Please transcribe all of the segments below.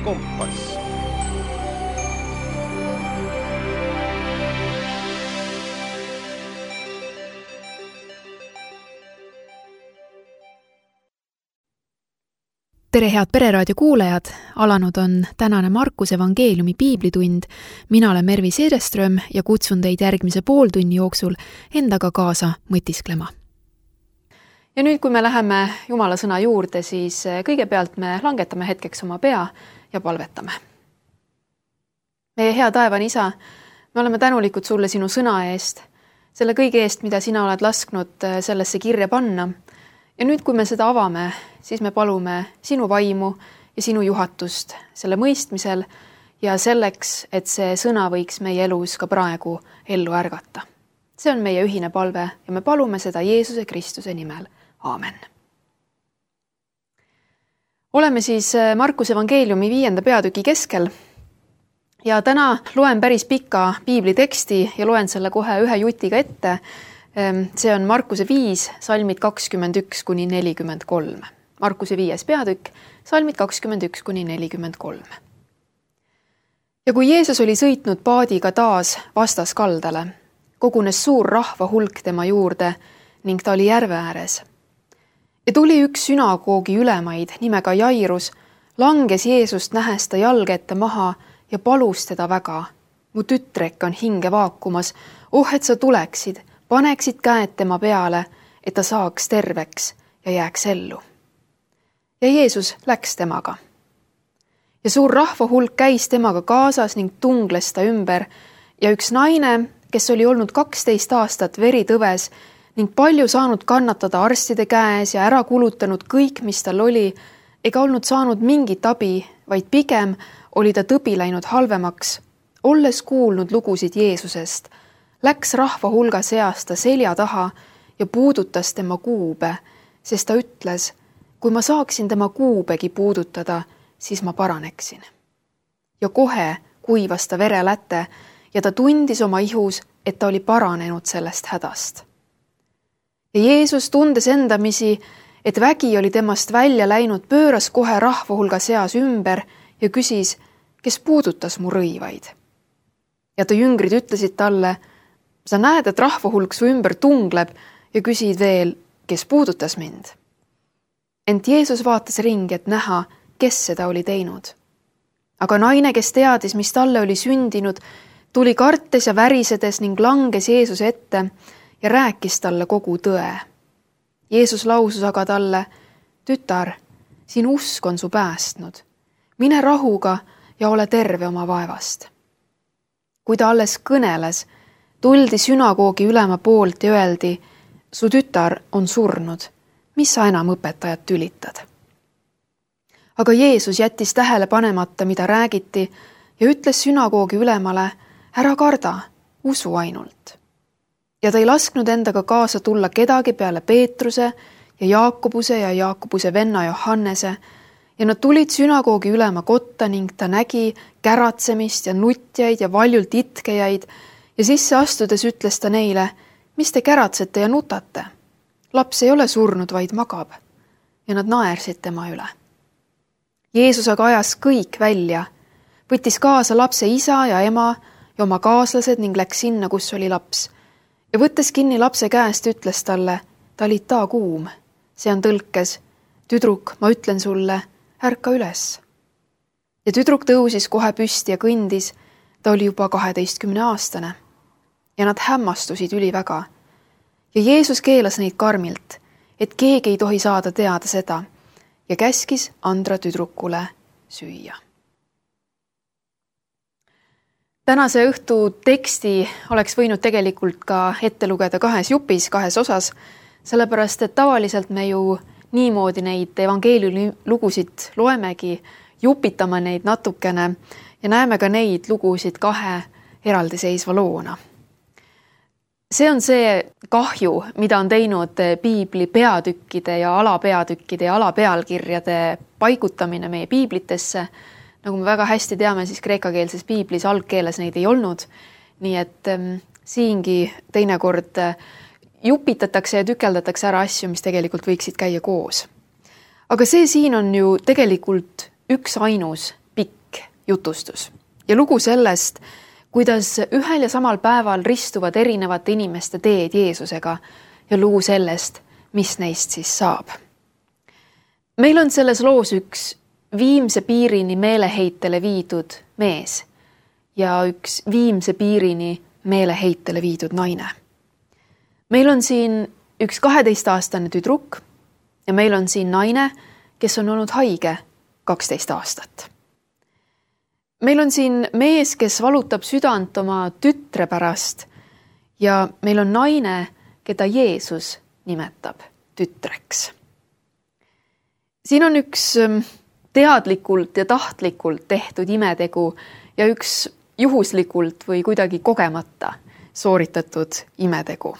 kompass. Tere head Pereraadio kuulajad, alanud on tänane Markuse evangeeliumi piiblitund. Mina olen Mervi Seereström ja kutsun teid järgmise pooltunni jooksul endaga kaasa mõtisklema. Ja nüüd, kui me läheme Jumala sõna juurde, siis kõigepealt me langetame hetkeks oma pea ja palvetame. Meie hea taevane Isa, me oleme tänulikud sulle sinu sõna eest, selle kõige eest, mida sina oled lasknud sellesse kirja panna. Ja nüüd, kui me seda avame, siis me palume sinu vaimu ja sinu juhatust selle mõistmisel ja selleks, et see sõna võiks meie elus ka praegu ellu ärgata. See on meie ühine palve ja me palume seda Jeesuse Kristuse nimel. Aamen. Oleme siis Markuse evangeeliumi 5. peatüki keskel ja täna loen päris pika piibliteksti ja loen selle kohe ühe jutiga ette. See on Markuse 5, salmid 21-43. Markuse 5. peatükk, salmid 21-43. Ja kui Jeesus oli sõitnud paadiga taas vastaskaldale, kogunes suur rahva hulk tema juurde ning ta oli järve ääres. Ja tuli üks sünagoogi ülemaid nimega Jairus, langes Jeesust nähes ta jalge ette maha ja palus teda väga. Mu tütrek on hinge vaakumas, et sa tuleksid, paneksid käed tema peale, et ta saaks terveks ja jääks ellu. Ja Jeesus läks temaga. Ja suur rahva hulk käis temaga kaasas ning tungles ta ümber ja üks naine, kes oli olnud 12 aastat veritõves ning palju saanud kannatada arstide käes ja ära kulutanud kõik, mis tal oli, ega olnud saanud mingit abi, vaid pigem oli ta tõbi läinud halvemaks, olles kuulnud lugusid Jeesusest, läks rahva hulga seast ta selja taha ja puudutas tema kuube, sest ta ütles, kui ma saaksin tema kuubegi puudutada, siis ma paraneksin. Ja kohe kuivas ta vereläte ja ta tundis oma ihus, et ta oli paranenud sellest hädast. Ja Jeesus tundes endamisi, et vägi oli temast välja läinud, pööras kohe rahva hulga seas ümber ja küsis, kes puudutas mu rõivaid. Ja ta jüngrid ütlesid talle, sa näed, et rahva hulk su ümber tungleb ja küsid veel, kes puudutas mind. Ent Jeesus vaatas ringi, et näha, kes seda oli teinud. Aga naine, kes teadis, mis talle oli sündinud, tuli kartes ja värisedes ning langes Jeesuse ette ja rääkis talle kogu tõe. Jeesus lausus aga talle, tütar, siin usk on su päästnud. Mine rahuga ja ole terve oma vaevast. Kui ta alles kõneles, tuldi sünagoogi ülema poolt ja öeldi, su tütar on surnud, mis sa enam õpetajat tülitad? Aga Jeesus jättis tähele panemata, mida räägiti ja ütles sünagoogi ülemale, ära karda, usu ainult. Ja ta ei lasknud endaga kaasa tulla kedagi peale Peetruse ja Jaakobuse venna Johannese ja nad tulid sünagoogi ülema kotta ning ta nägi käratsemist ja nutjaid ja valjult itkejaid ja sisse astudes ütles ta neile, mis te käratsete ja nutate? Laps ei ole surnud, vaid magab. Ja nad naersid tema üle. Jeesus aga ajas kõik välja, võttis kaasa lapse isa ja ema ja oma kaaslased ning läks sinna, kus oli laps. Ja võttes kinni lapse käest, ütles talle, talita kuum. See on tõlkes, tüdruk, ma ütlen sulle, ärka üles. Ja tüdruk tõusis kohe püsti ja kõndis, ta oli juba 12-aastane. Ja nad hämmastusid üliväga. Ja Jeesus keelas neid karmilt, et keegi ei tohi saada teada seda ja käskis Andra tüdrukule süüa. Tänase õhtu teksti oleks võinud tegelikult ka ette lugeda 2 jupis, 2 osas, sellepärast, et tavaliselt me ju niimoodi neid evangeeliumi lugusid loemegi, jupitame neid natukene ja näeme ka neid lugusid 2 eraldiseisva loona. See on see kahju, mida on teinud piibli peatükkide ja alapeatükkide ja alapealkirjade paigutamine meie piiblitesse. Nagu me väga hästi teame, siis kreekakeelses piiblis algkeeles neid ei olnud. Nii et siingi teinekord jupitatakse ja tükeldatakse ära asju, mis tegelikult võiksid käia koos. Aga see siin on ju tegelikult üks ainus pikk jutustus ja lugu sellest, kuidas ühel ja samal päeval ristuvad erinevate inimeste teed Jeesusega ja lugu sellest, mis neist siis saab. Meil on selles loos üks viimse piirini meeleheitele viidud mees ja üks viimse piirini meeleheitele viidud naine. Meil on siin üks 12-aastane tüdruk ja meil on siin naine, kes on olnud haige 12 aastat. Meil on siin mees, kes valutab südant oma tütre pärast ja meil on naine, keda Jeesus nimetab tütreks. Siin on üks teadlikult ja tahtlikult tehtud imetegu ja üks juhuslikult või kuidagi kogemata sooritatud imetegu.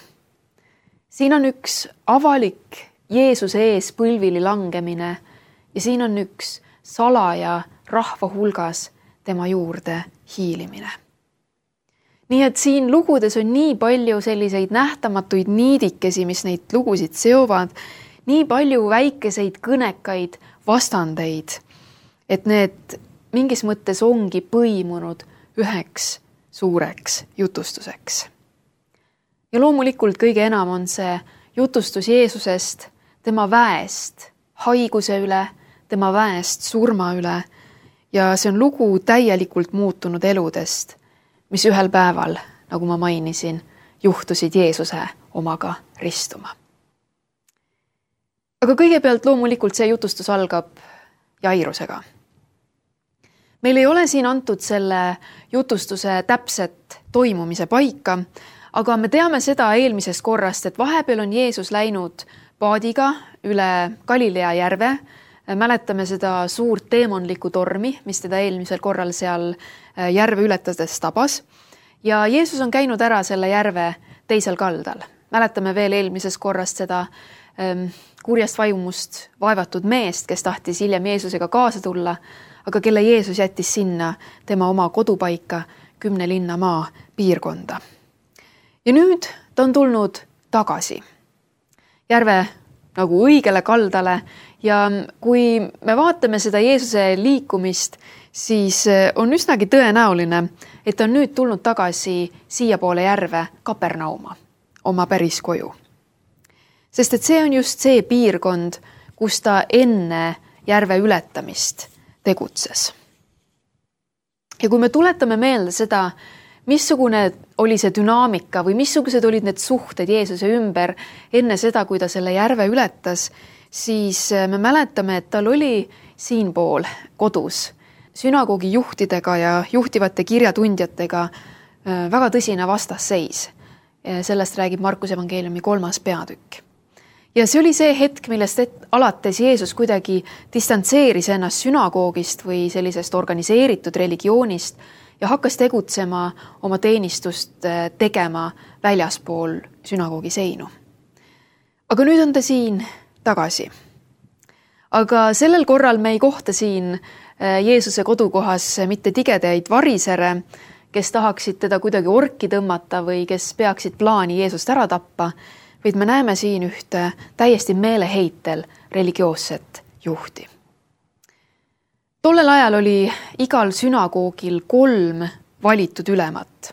Siin on üks avalik Jeesuse ees põlvili langemine ja siin on üks salaja rahva hulgas tema juurde hiilimine. Nii et siin lugudes on nii palju selliseid nähtamatuid niidikesi, mis neid lugusid seovad, nii palju väikeseid kõnekaid vastandeid, et need mingis mõttes ongi põimunud üheks suureks jutustuseks. Ja loomulikult kõige enam on see jutustus Jeesusest, tema väest haiguse üle, tema väest surma üle ja see on lugu täielikult muutunud eludest, mis ühel päeval, nagu ma mainisin, juhtusid Jeesuse omaga ristuma. Aga kõigepealt loomulikult see jutustus algab Jairusega. Meil ei ole siin antud selle jutustuse täpset toimumise paika, aga me teame seda eelmisest korrast, et vahepeal on Jeesus läinud paadiga üle Galilea järve. Mäletame seda suurt teemonlikku tormi, mis teda eelmisel korral seal järve ületades tabas. Ja Jeesus on käinud ära selle järve teisel kaldal. Mäletame veel eelmisest korrast seda kurjast vaimust vaevatud meest, kes tahtis hiljem Jeesusega kaasa tulla, aga kelle Jeesus jättis sinna tema oma kodupaika 10 linna maa piirkonda. Ja nüüd ta on tulnud tagasi järve nagu õigele kaldale ja kui me vaatame seda Jeesuse liikumist, siis on üsnagi tõenäoline, et ta on nüüd tulnud tagasi siiapoole järve Kapernauma, oma päris koju. Sest et see on just see piirkond, kus ta enne järve ületamist tegutses. Ja kui me tuletame meelde seda, missugune oli see dünaamika või missugused olid need suhted Jeesuse ümber enne seda, kui ta selle järve ületas, siis me mäletame, et tal oli siinpool kodus sünagoogi juhtidega ja juhtivate kirjatundjatega väga tõsine vastasseis. Sellest räägib Markuse evangeeliumi 3. peatükk. Ja see oli see hetk, millest alates Jeesus kuidagi distantseeris ennast sünagoogist või sellisest organiseeritud religioonist ja hakkas tegutsema oma teenistust tegema väljaspool sünagoogi seinu. Aga nüüd on ta siin tagasi. Aga sellel korral me ei kohta siin Jeesuse kodukohas mitte tigedaid varisere, kes tahaksid teda kuidagi orki tõmmata või kes peaksid plaani Jeesust ära tappa, vaid me näeme siin ühte täiesti meeleheitel religioosset juhti. Tollel ajal oli igal sünagoogil 3 valitud ülemat.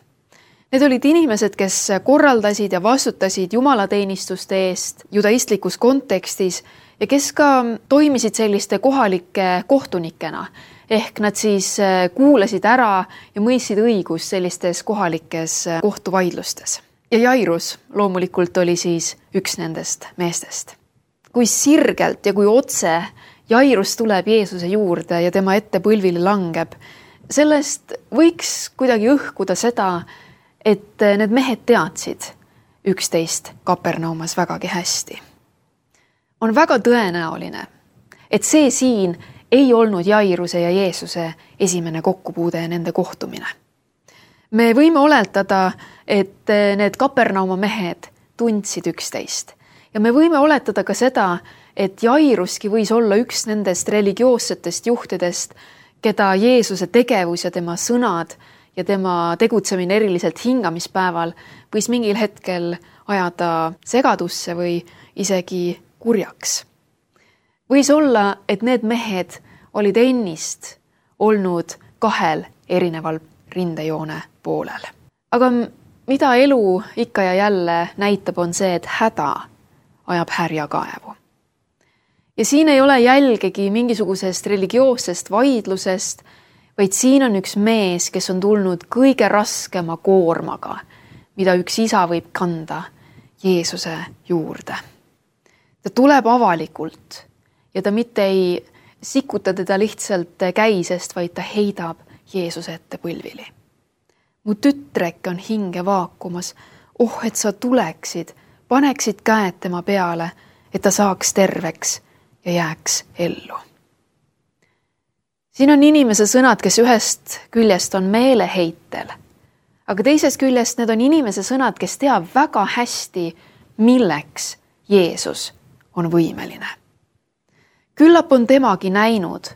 Need olid inimesed, kes korraldasid ja vastutasid jumalateenistuste eest judaistlikus kontekstis ja kes ka toimisid selliste kohalike kohtunikena. Ehk nad siis kuulasid ära ja mõistsid õigust sellistes kohalikes kohtuvaidlustes. Ja Jairus loomulikult oli siis üks nendest meestest. Kui sirgelt ja kui otse Jairus tuleb Jeesuse juurde ja tema ette põlvili langeb, sellest võiks kuidagi õhkuda seda, et need mehed teadsid üksteist Kapernaumas vägagi hästi. On väga tõenäoline, et see siin ei olnud Jairuse ja Jeesuse esimene kokkupuude ja nende kohtumine. Me võime oletada, et need Kapernauma mehed tundsid üksteist ja me võime oletada ka seda, et Jairuski võis olla üks nendest religioossetest juhtidest, keda Jeesuse tegevus ja tema sõnad ja tema tegutsemine eriliselt hingamispäeval võis mingil hetkel ajada segadusse või isegi kurjaks. Võis olla, et need mehed olid ennist olnud 2 erineval rindejoone poolel. Aga mida elu ikka ja jälle näitab, on see, et häda ajab härja kaevu. Ja siin ei ole jälgegi mingisugusest religioossest vaidlusest, vaid siin on üks mees, kes on tulnud kõige raskema koormaga, mida üks isa võib kanda Jeesuse juurde. Ta tuleb avalikult ja ta mitte ei sikuta teda lihtsalt käisest, vaid ta heidab Jeesuse ette põlvili. Mu tütreke on hinge vaakumas, et sa tuleksid, paneksid käed tema peale, et ta saaks terveks ja jääks ellu. Siin on inimese sõnad, kes ühest küljest on meeleheitel, aga teisest küljest need on inimese sõnad, kes teab väga hästi, milleks Jeesus on võimeline. Küllap on temagi näinud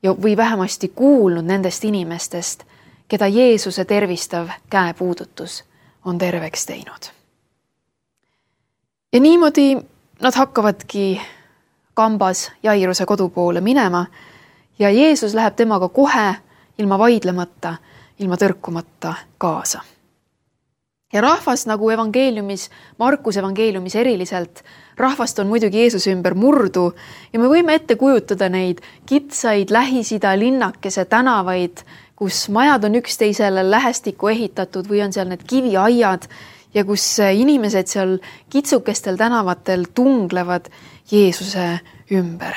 või vähemasti kuulnud nendest inimestest, keda Jeesuse tervistav käepuudutus on terveks teinud. Ja niimoodi nad hakkavadki kambas Jairuse kodu poole minema ja Jeesus läheb temaga kohe ilma vaidlemata, ilma tõrkumata kaasa. Ja rahvast nagu evangeeliumis, Markuse evangeeliumis eriliselt, rahvast on muidugi Jeesuse ümber murdu ja me võime ette kujutada neid kitsaid Lähis-Ida linnakese tänavaid, kus majad on üksteisele lähestikku ehitatud või on seal need kiviaiad ja kus inimesed seal kitsukestel tänavatel tunglevad Jeesuse ümber.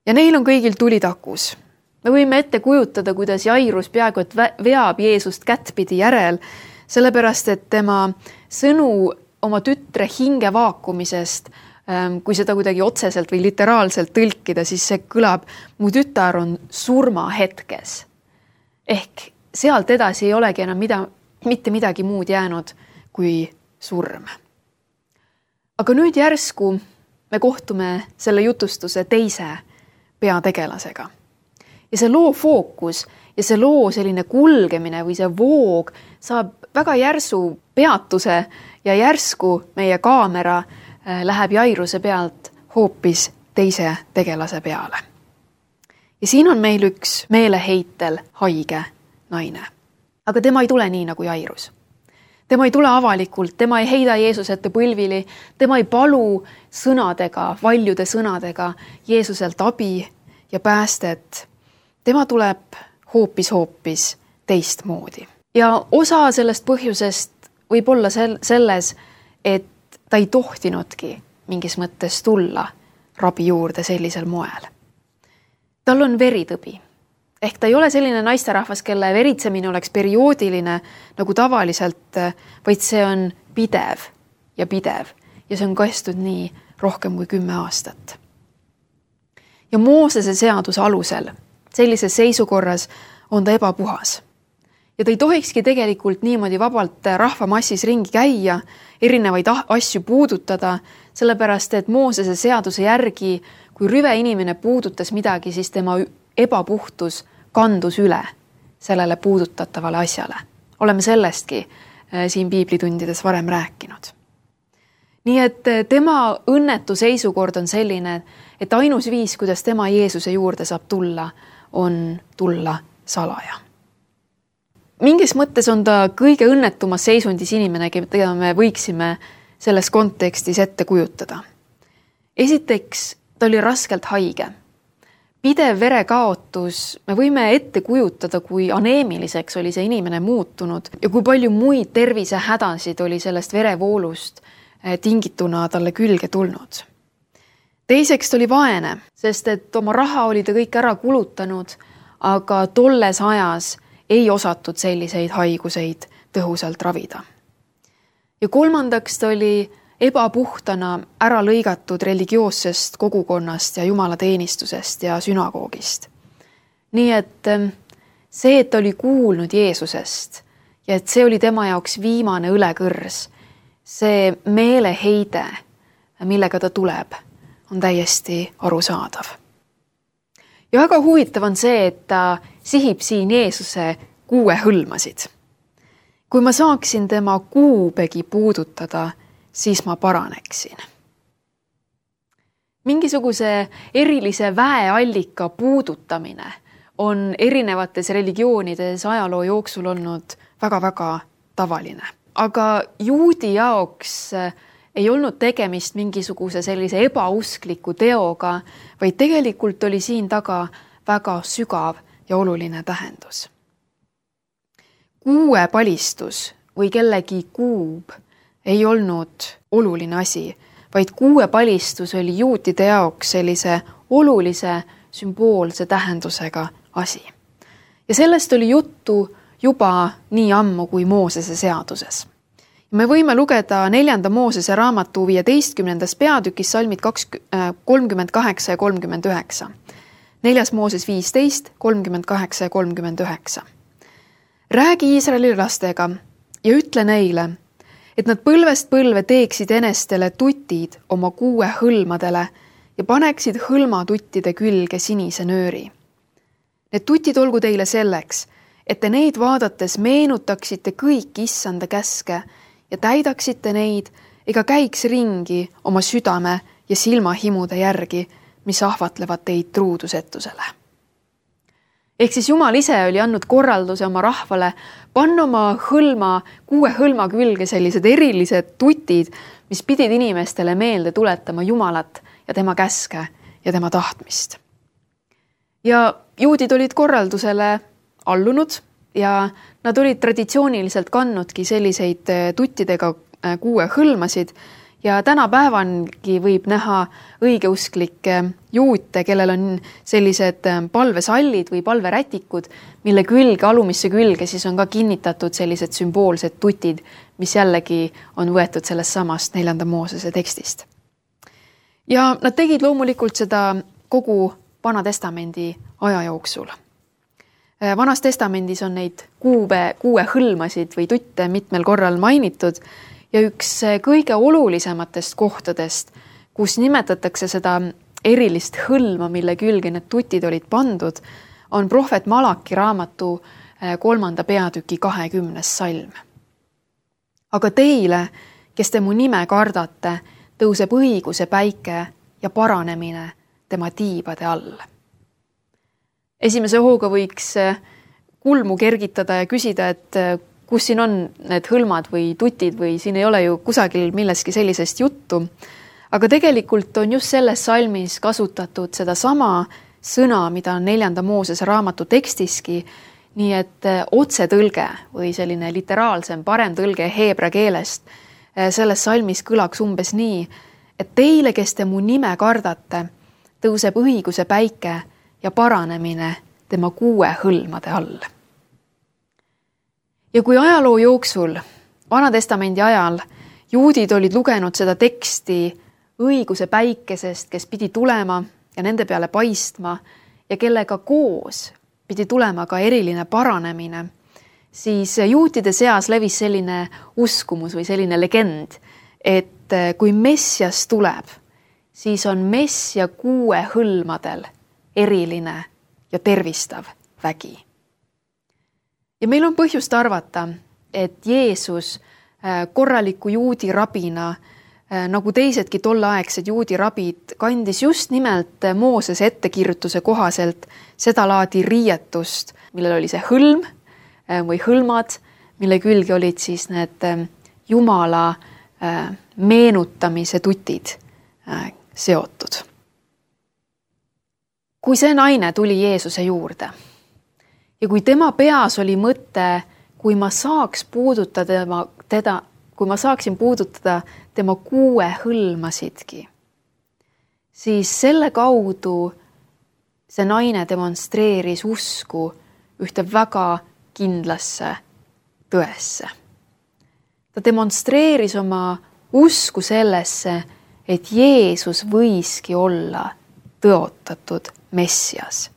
Ja neil on kõigil tuli takus. Me võime ette kujutada, kuidas Jairus peaaegu et veab Jeesust kättpidi järel, sellepärast et tema sõnu oma tütre hinge vaakumisest, kui seda kuidagi otseselt või literaalselt tõlkida, siis see kõlab, mu tütar on surmahetkes. Ehk sealt edasi ei olegi enam mitte midagi muud jäänud kui surm. Aga nüüd järsku me kohtume selle jutustuse teise peategelasega. Ja see loo fookus ja see loo selline kulgemine või see voog saab väga järsu peatuse ja järsku meie kaamera läheb Jairuse pealt hoopis teise tegelase peale. Ja siin on meil üks meeleheitel haige naine. Aga tema ei tule nii nagu Jairus. Tema ei tule avalikult, tema ei heida Jeesuse ette põlvili, tema ei palu sõnadega, valjude sõnadega Jeesuselt abi ja päästet. Tema tuleb hoopis teistmoodi. Ja osa sellest põhjusest võib olla selles, et ta ei tohtinudki mingis mõttes tulla rabi juurde sellisel moel. Tal on veritõbi. Ehk ta ei ole selline naisterahvas, kelle veritsemine oleks perioodiline nagu tavaliselt, vaid see on pidev ja see on kestnud nii rohkem kui 10 aastat. Ja Moosese seaduse alusel sellises seisukorras on ta ebapuhas. Ja ta ei tohikski tegelikult niimoodi vabalt rahvamassis ringi käia, erinevaid asju puudutada, sellepärast et Moosese seaduse järgi, kui rüve inimene puudutas midagi, siis tema ebapuhtus kandus üle sellele puudutatavale asjale. Oleme sellestki siin piiblitundides varem rääkinud. Nii et tema õnnetu seisukord on selline, et ainus viis, kuidas tema Jeesuse juurde saab tulla, on tulla salaja. Mingis mõttes on ta kõige õnnetumas seisundis inimene, keda me võiksime selles kontekstis ette kujutada. Esiteks, ta oli raskelt haige. Pidev verekaotus, me võime ette kujutada, kui aneemiliseks oli see inimene muutunud ja kui palju muid tervisehädasid oli sellest verevoolust tingituna talle külge tulnud. Teiseks ta oli vaene, sest et oma raha oli ta kõik ära kulutanud, aga tolles ajas ei osatud selliseid haiguseid tõhusalt ravida. Ja kolmandaks ta oli ebapuhtana ära lõigatud religioossest kogukonnast ja jumalateenistusest ja sünagoogist. Nii et see, et ta oli kuulnud Jeesusest ja et see oli tema jaoks viimane õlekõrs, see meeleheide, millega ta tuleb, on täiesti arusaadav. Ja väga huvitav on see, et ta sihib siin Jeesuse kuue hõlmasid. Kui ma saaksin tema kuupegi puudutada, siis ma paraneksin. Mingisuguse erilise väeallika puudutamine on erinevates religioonides ajaloo jooksul olnud väga-väga tavaline. Aga juudi jaoks ei olnud tegemist mingisuguse sellise ebauskliku teoga, vaid tegelikult oli siin taga väga sügav ja oluline tähendus. Kuuepalistus või kellegi kuub ei olnud oluline asi, vaid kuuepalistus oli juutide jaoks sellise olulise sümboolse tähendusega asi. Ja sellest oli juttu juba nii ammu kui Moosese seaduses. Me võime lugeda 4. Moosese raamatu 15. peatükis salmid 38 ja 39. 4. Mooses 15, 38 ja 39. Räägi Iisraeli lastega ja ütle neile, et nad põlvest põlve teeksid enestele tutid oma 6 hõlmadele ja paneksid hõlmatuttide külge sinise nööri. Need tutid olgu teile selleks, et te neid vaadates meenutaksite kõik Issanda käske ja täidaksite neid ega käiks ringi oma südame ja silmahimude järgi, mis ahvatlevad teid truudusetusele. Ehk siis Jumal ise oli andnud korralduse oma rahvale panna oma 6 hõlma külge sellised erilised tutid, mis pidid inimestele meelde tuletama Jumalat ja tema käske ja tema tahtmist. Ja juudid olid korraldusele allunud ja nad olid traditsiooniliselt kandnudki selliseid tuttidega 6 hõlmasid ja tänapäevangi võib näha õigeusklikke juute, kellel on sellised palvesallid või palverätikud, mille külge, alumisse külge siis on ka kinnitatud sellised sümboolsed tutid, mis jällegi on võetud sellest samast 4. Moosese tekstist. Ja nad tegid loomulikult seda kogu Vana Testamendi aja jooksul. Vanas Testamendis on neid 6 hõlmasid või tutte mitmel korral mainitud ja üks kõige olulisematest kohtadest, kus nimetatakse seda erilist hõlma, mille külge need tutid olid pandud, on prohvet Malaki raamatu 3. peatüki 20. salm. Aga teile, kes te mu nime kardate, tõuseb õiguse päike ja paranemine tema tiibade all. Esimese hooga võiks kulmu kergitada ja küsida, et kus siin on need hõlmad või tutid või siin ei ole ju kusagil milleski sellisest juttu. Aga tegelikult on just selles salmis kasutatud seda sama sõna, mida on 4. Moosese raamatu tekstiski, nii et otsetõlge või selline literaalsem parem tõlge heebra keelest selles salmis kõlaks umbes nii, et teile, kes te mu nime kardate, tõuseb õiguse päike ja paranemine tema 6 hõlmade all. Ja kui ajaloo jooksul, Vana Testamendi ajal, juudid olid lugenud seda teksti õiguse päikesest, kes pidi tulema ja nende peale paistma ja kellega koos pidi tulema ka eriline paranemine, siis juutide seas levis selline uskumus või selline legend, et kui Messias tuleb, siis on Messia 6 hõlmadel eriline ja tervistav vägi. Ja meil on põhjust arvata, et Jeesus korraliku juudi rabina, nagu teisedki tolleaegsed juudi rabid, kandis just nimelt Moosese ettekirjutuse kohaselt seda laadi riietust, millel oli see hõlm või hõlmad, mille külge olid siis need Jumala meenutamise tutid seotud. Kui see naine tuli Jeesuse juurde ja kui tema peas oli mõte, kui ma saaksin puudutada tema 6 hõlmasidki, siis selle kaudu see naine demonstreeris usku ühte väga kindlasse tõesse. Ta demonstreeris oma usku sellesse, et Jeesus võiski olla tõotatud Messias.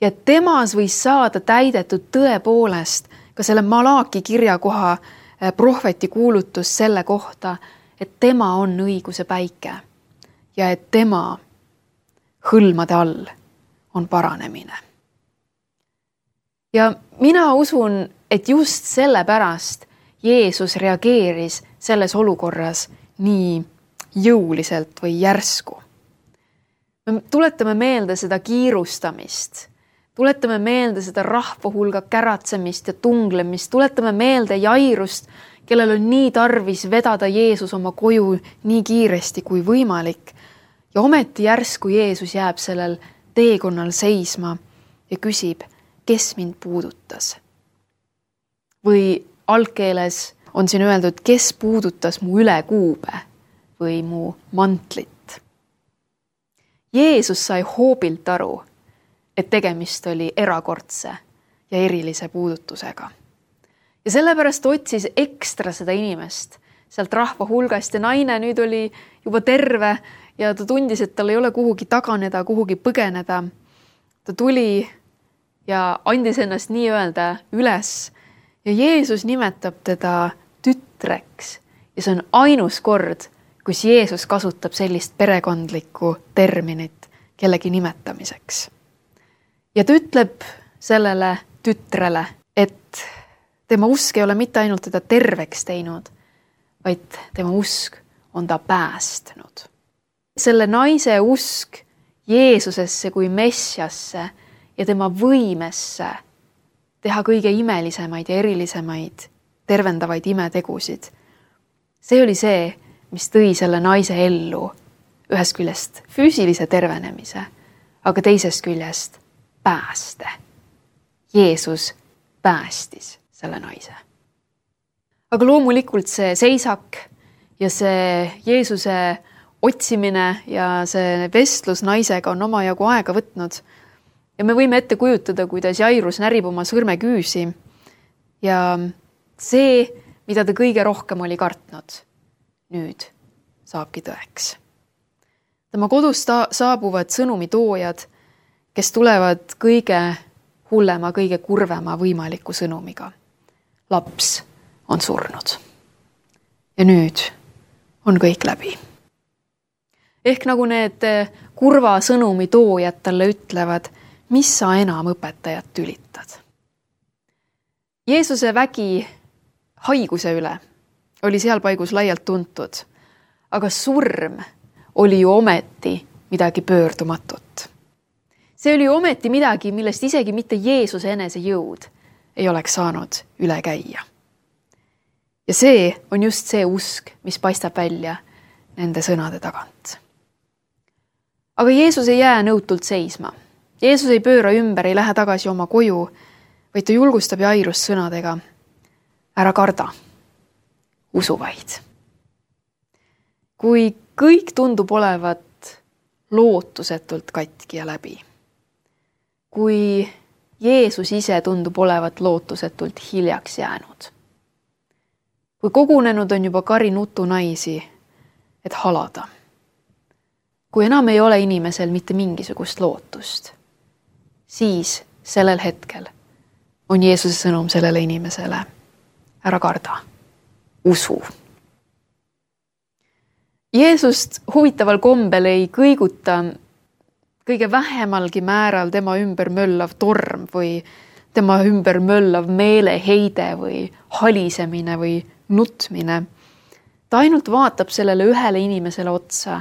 Ja temas võis saada täidetud tõepoolest ka selle Malaki kirjakoha prohveti kuulutus selle kohta, et tema on õiguse päike ja et tema hõlmade all on paranemine. Ja mina usun, et just sellepärast Jeesus reageeris selles olukorras nii jõuliselt või järsku. Me tuletame meelde seda kiirustamist, Tuletame meelde seda rahva hulga käratsemist ja tunglemist, tuletame meelde Jairust, kellel on nii tarvis vedada Jeesus oma koju nii kiiresti kui võimalik. Ja ometi järsku Jeesus jääb sellel teekonnal seisma ja küsib, kes mind puudutas. Või algkeeles on siin öeldud, kes puudutas mu ülekuube või mu mantlit. Jeesus sai hoobilt aru, et tegemist oli erakordse ja erilise puudutusega. Ja sellepärast otsis ekstra seda inimest sealt rahva hulgast ja naine nüüd oli juba terve ja ta tundis, et tal ei ole kuhugi taganeda, kuhugi põgeneda. Ta tuli ja andis ennast nii-öelda üles ja Jeesus nimetab teda tütreks ja see on ainus kord, kus Jeesus kasutab sellist perekondlikku terminit kellegi nimetamiseks. Ja ta ütleb sellele tütrele, et tema usk ei ole mitte ainult teda terveks teinud, vaid tema usk on ta päästnud. Selle naise usk Jeesusesse kui messiasse ja tema võimesse teha kõige imelisemaid ja erilisemaid tervendavaid imetegusid. See oli see, mis tõi selle naise ellu ühest küljest füüsilise tervenemise, aga teisest küljest pääste. Jeesus päästis selle naise. Aga loomulikult see seisak ja see Jeesuse otsimine ja see vestlus naisega on omajagu aega võtnud. Ja me võime ette kujutada, kuidas Jairus närib oma sõrmeküüsi ja see, mida ta kõige rohkem oli kartnud, nüüd saabki tõeks. Tema kodust saabuvad sõnumitoojad, kes tulevad kõige hullema, kõige kurvema võimaliku sõnumiga. Laps on surnud. Ja nüüd on kõik läbi. Ehk nagu need kurva sõnumitoojad talle ütlevad, mis sa enam õpetajat tülitad. Jeesuse vägi haiguse üle oli seal paigus laialt tuntud, aga surm oli ju ometi midagi pöördumatut. See oli ometi midagi, millest isegi mitte Jeesuse enese jõud ei oleks saanud üle käia. Ja see on just see usk, mis paistab välja nende sõnade tagant. Aga Jeesus ei jää nõutult seisma. Jeesus ei pööra ümber, ei lähe tagasi oma koju, vaid ta julgustab Jairust sõnadega. Ära karda, usu vaid. Kui kõik tundub olevat lootusetult katki ja läbi, kui Jeesus ise tundub olevat lootusetult hiljaks jäänud, kui kogunenud on juba kari nutu naisi, et halada, kui enam ei ole inimesel mitte mingisugust lootust, siis sellel hetkel on Jeesuse sõnum sellele inimesele. Ära karda, usu. Jeesust huvitaval kombel ei kõiguta kõige vähemalgi määral tema ümber möllav torm või tema ümber möllav meeleheide või halisemine või nutmine. Ta ainult vaatab sellele ühele inimesele otsa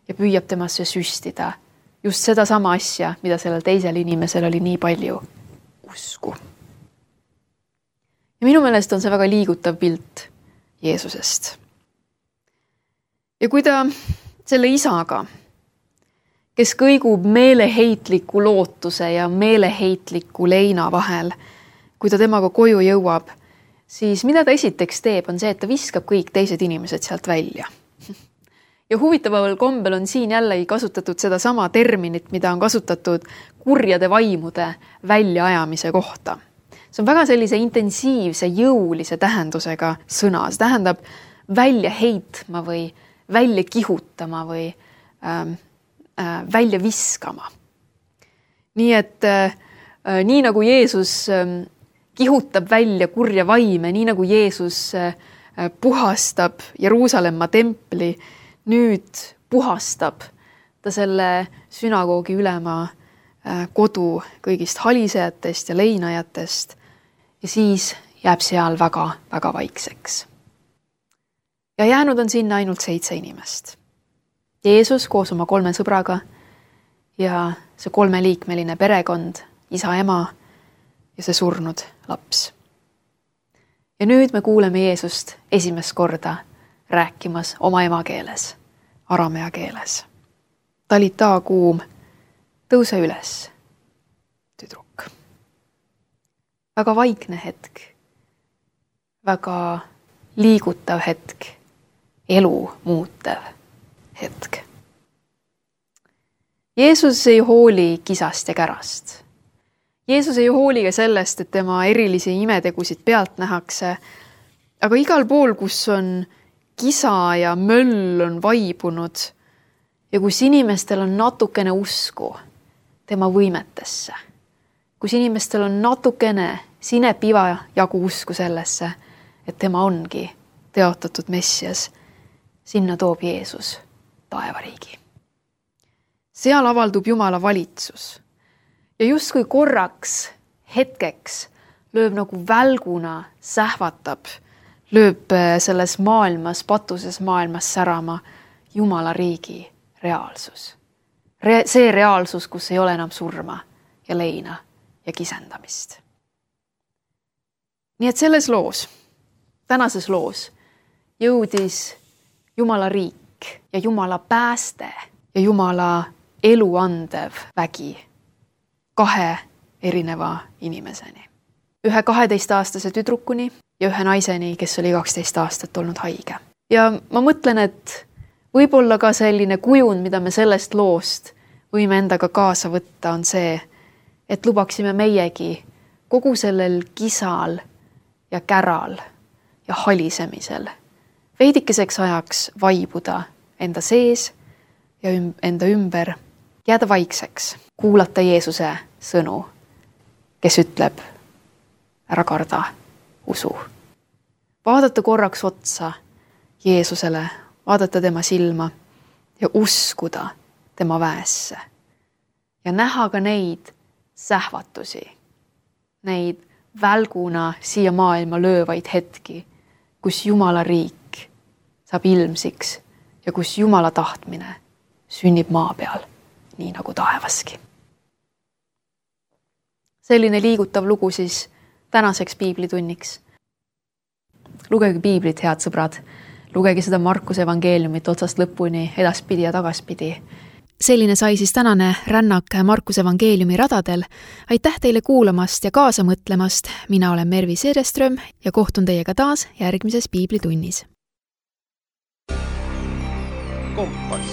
ja püüab temasse süstida just seda sama asja, mida sellel teisel inimesel oli nii palju usku. Ja minu meelest on see väga liigutav pilt Jeesusest. Ja kui ta selle isaga, kes kõigub meeleheitliku lootuse ja meeleheitliku leina vahel, kui ta temaga koju jõuab, siis mida ta esiteks teeb, on see, et ta viskab kõik teised inimesed sealt välja. Ja huvitaval kombel on siin jällegi kasutatud seda sama terminit, mida on kasutatud kurjade vaimude väljaajamise kohta. See on väga sellise intensiivse, jõulise tähendusega sõna. See tähendab välja heitma või välja kihutama või välja viskama. Nii et nii nagu Jeesus kihutab välja kurja vaime, nii nagu Jeesus puhastab Jeruusalemma templi, nüüd puhastab ta selle sünagoogi ülema kodu kõigist halisejatest ja leinajatest ja siis jääb seal väga, väga vaikseks. Ja jäänud on sinna ainult 7 inimest. Jeesus koos oma 3 sõbraga ja see 3-liikmeline perekond isa ema ja see surnud laps. Ja nüüd me kuuleme Jeesust esimest korda rääkimas oma emakeeles, aramea keeles. Talita kuum, tõuse üles, tüdruk. Väga vaikne hetk, väga liigutav hetk, elu muutev hetk. Jeesus ei hooli kisast ja kärast. Jeesus ei hooli ka sellest, et tema erilisi imetegusid pealt nähakse, aga igal pool, kus on kisa ja möll on vaibunud ja kus inimestel on natukene usku tema võimetesse, kus inimestel on natukene sinepiva jagu usku sellesse, et tema ongi teotatud Messias, sinna toob Jeesus taevariigi. Seal avaldub Jumala valitsus ja justkui korraks, hetkeks lööb nagu välguna, sähvatab, lööb selles maailmas, patuses maailmas särama Jumala riigi reaalsus. See reaalsus, kus ei ole enam surma ja leina ja kisendamist. Nii et selles loos, tänases loos jõudis Jumala riik ja Jumala pääste ja Jumala elu andev vägi 2 erineva inimeseni. Ühe 12-aastase tüdrukuni ja ühe naiseni, kes oli 12 aastat olnud haige. Ja ma mõtlen, et võib-olla ka selline kujund, mida me sellest loost võime endaga kaasa võtta, on see, et lubaksime meiegi kogu sellel kisal ja käral ja halisemisel veidikeseks ajaks vaibuda enda sees ja enda ümber, jääda vaikseks, kuulata Jeesuse sõnu, kes ütleb, ära karda, usu. Vaadata korraks otsa Jeesusele, vaadata tema silma ja uskuda tema väesse. Ja näha ka neid sähvatusi, neid välguna siia maailma löövaid hetki, kus Jumala riik saab ilmsiks ja kus Jumala tahtmine sünnib maa peal, nii nagu taevaski. Selline liigutav lugu siis tänaseks piiblitunniks. Lugege piiblit, head sõbrad. Lugege seda Markuse evangeeliumit otsast lõpuni, edaspidi ja tagaspidi. Selline sai siis tänane rännak Markuse evangeeliumi radadel. Aitäh teile kuulamast ja kaasa mõtlemast. Mina olen Mervi Seereström ja kohtun teiega taas järgmises piiblitunnis. Kompass.